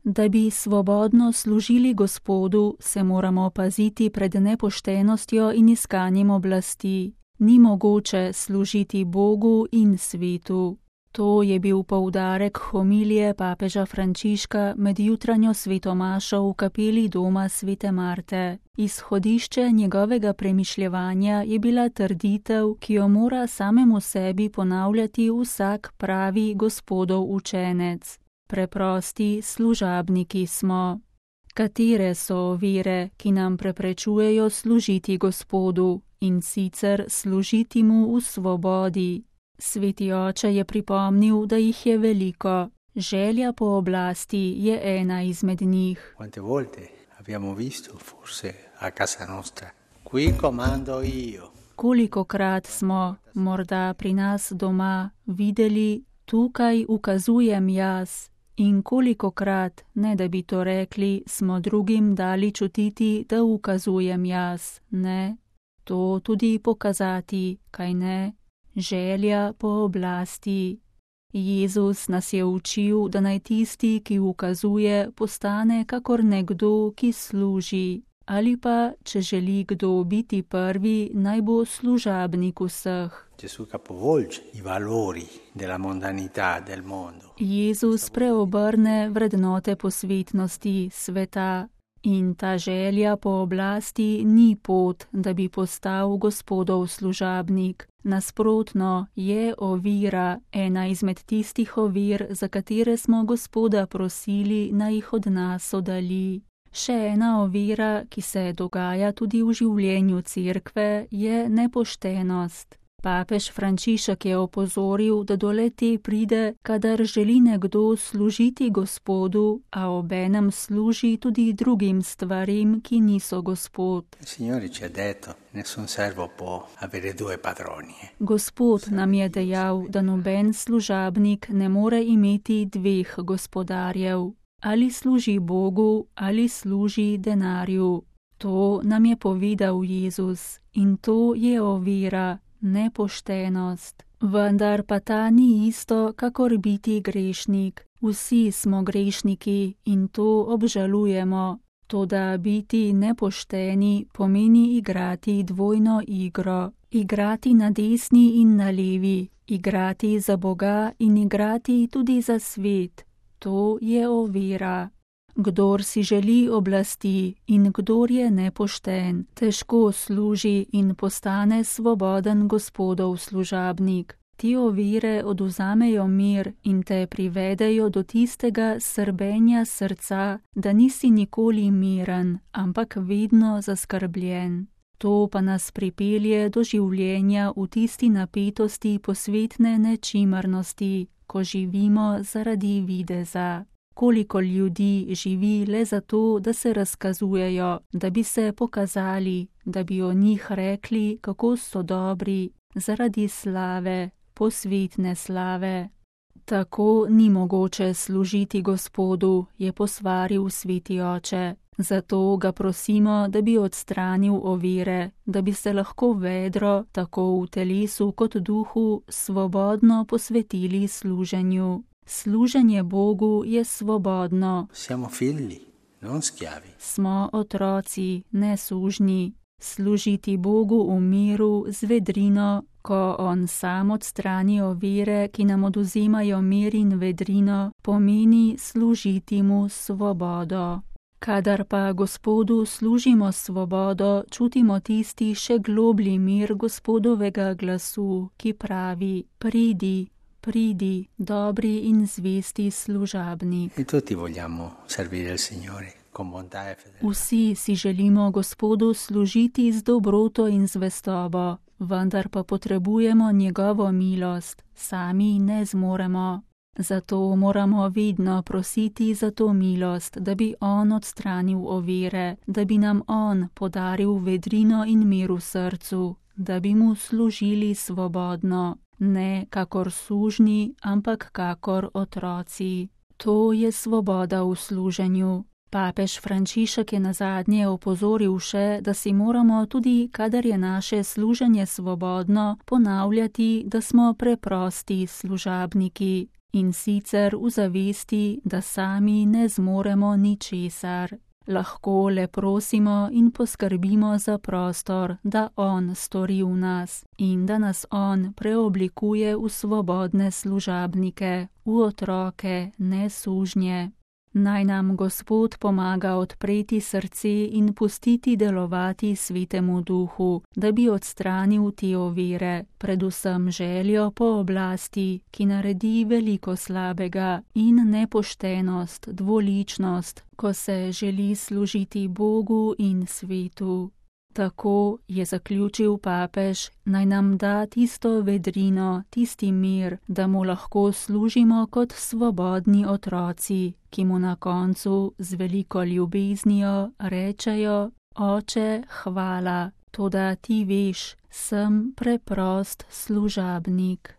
Da bi svobodno služili Gospodu, se moramo paziti pred nepoštenostjo in iskanjem oblasti. Ni mogoče služiti Bogu in svetu. To je bil poudarek homilije papeža Frančiška med jutranjo svetomašo v kapeli doma svete Marte. Izhodišče njegovega premišljevanja je bila trditev, ki jo mora samemu sebi ponavljati vsak pravi Gospodov učenec. Preprosti služabniki smo. Katere so ovire, ki nam preprečujejo služiti Gospodu, in sicer služiti mu v svobodi? Sveti oče je pripomnil, da jih je veliko. Želja po oblasti je ena izmed njih. Quante volte abbiamo visto, forse a casa nostra, qui comando io. Kolikokrat smo, morda pri nas doma, videli, tukaj ukazujem jaz. In kolikokrat, ne da bi to rekli, smo drugim dali čutiti, da ukazujem jaz, ne? To tudi pokazati, kaj ne? Želja po oblasti. Jezus nas je učil, da naj tisti, ki ukazuje, postane kakor nekdo, ki služi. Ali pa, če želi kdo biti prvi, naj bo služabnik vseh. Jezus preobrne vrednote posvetnosti sveta. In ta želja po oblasti ni pot, da bi postal Gospodov služabnik. Nasprotno, je ovira, ena izmed tistih ovir, za katere smo Gospoda prosili, naj jih od nas oddalji. Še ena ovira, ki se dogaja tudi v življenju cerkve, je nepoštenost. Papež Frančišek je opozoril, da do le-te pride, kadar želi nekdo služiti Gospodu, a obenem služi tudi drugim stvarim, ki niso Gospod. Gospod nam je dejal, da noben služabnik ne more imeti dveh gospodarjev. Ali služi Bogu, ali služi denarju. To nam je povedal Jezus in to je ovira. Nepoštenost. Vendar pa ta ni isto, kakor biti grešnik. Vsi smo grešniki in to obžalujemo. Toda biti nepošteni pomeni igrati dvojno igro. Igrati na desni in na levi. Igrati za Boga in igrati tudi za svet. To je ovira. Kdor si želi oblasti in kdor je nepošten, težko služi in postane svoboden Gospodov služabnik. Ti ovire oduzamejo mir in te privedejo do tistega srbenja srca, da nisi nikoli miren, ampak vedno zaskrbljen. To pa nas pripelje do življenja v tisti napetosti posvetne nečimrnosti, ko živimo zaradi videza. Koliko ljudi živi le zato, da se razkazujejo, da bi se pokazali, da bi o njih rekli, kako so dobri, zaradi slave, posvetne slave. Tako ni mogoče služiti Gospodu, je posvaril sveti oče. Zato ga prosimo, da bi odstranil ovire, da bi se lahko vedro, tako v telesu kot duhu, svobodno posvetili služenju. Služenje Bogu je svobodno. Siamo figli, non schiavi. Smo otroci, ne sužnji. Služiti Bogu v miru z vedrino, ko On sam odstrani ovire, ki nam oduzemajo mir in vedrino, pomeni služiti mu svobodo. Kadar pa Gospodu služimo svobodo, čutimo tisti še globlji mir Gospodovega glasu, ki pravi: pridi. Pridi, dobri in zvesti služabnik. Vsi si želimo Gospodu služiti z dobroto in zvestobo, vendar pa potrebujemo njegovo milost, sami ne zmoremo. Zato moramo vedno prositi za to milost, da bi On odstranil ovire, da bi nam On podaril vedrino in mir v srcu, da bi mu služili svobodno. Ne kakor sužnji, ampak kakor otroci. To je svoboda v služenju. Papež Frančišek je nazadnje opozoril še, da si moramo tudi, kadar je naše služenje svobodno, ponavljati, da smo preprosti služabniki. in sicer v zavesti, da sami ne zmoremo ničesar. Lahko le prosimo in poskrbimo za prostor, da on stori v nas in da nas on preoblikuje v svobodne služabnike, v otroke, ne sužnje. Naj nam Gospod pomaga odpreti srce in pustiti delovati Svetemu Duhu, da bi odstranil te ovire, predvsem željo po oblasti, ki naredi veliko slabega, in nepoštenost, dvoličnost, ko se želi služiti Bogu in svetu. Tako je zaključil papež, naj nam da tisto vedrino, tisti mir, da mu lahko služimo kot svobodni otroci, ki mu na koncu z veliko ljubeznijo rečejo: Oče, hvala, toda ti veš, sem preprost služabnik.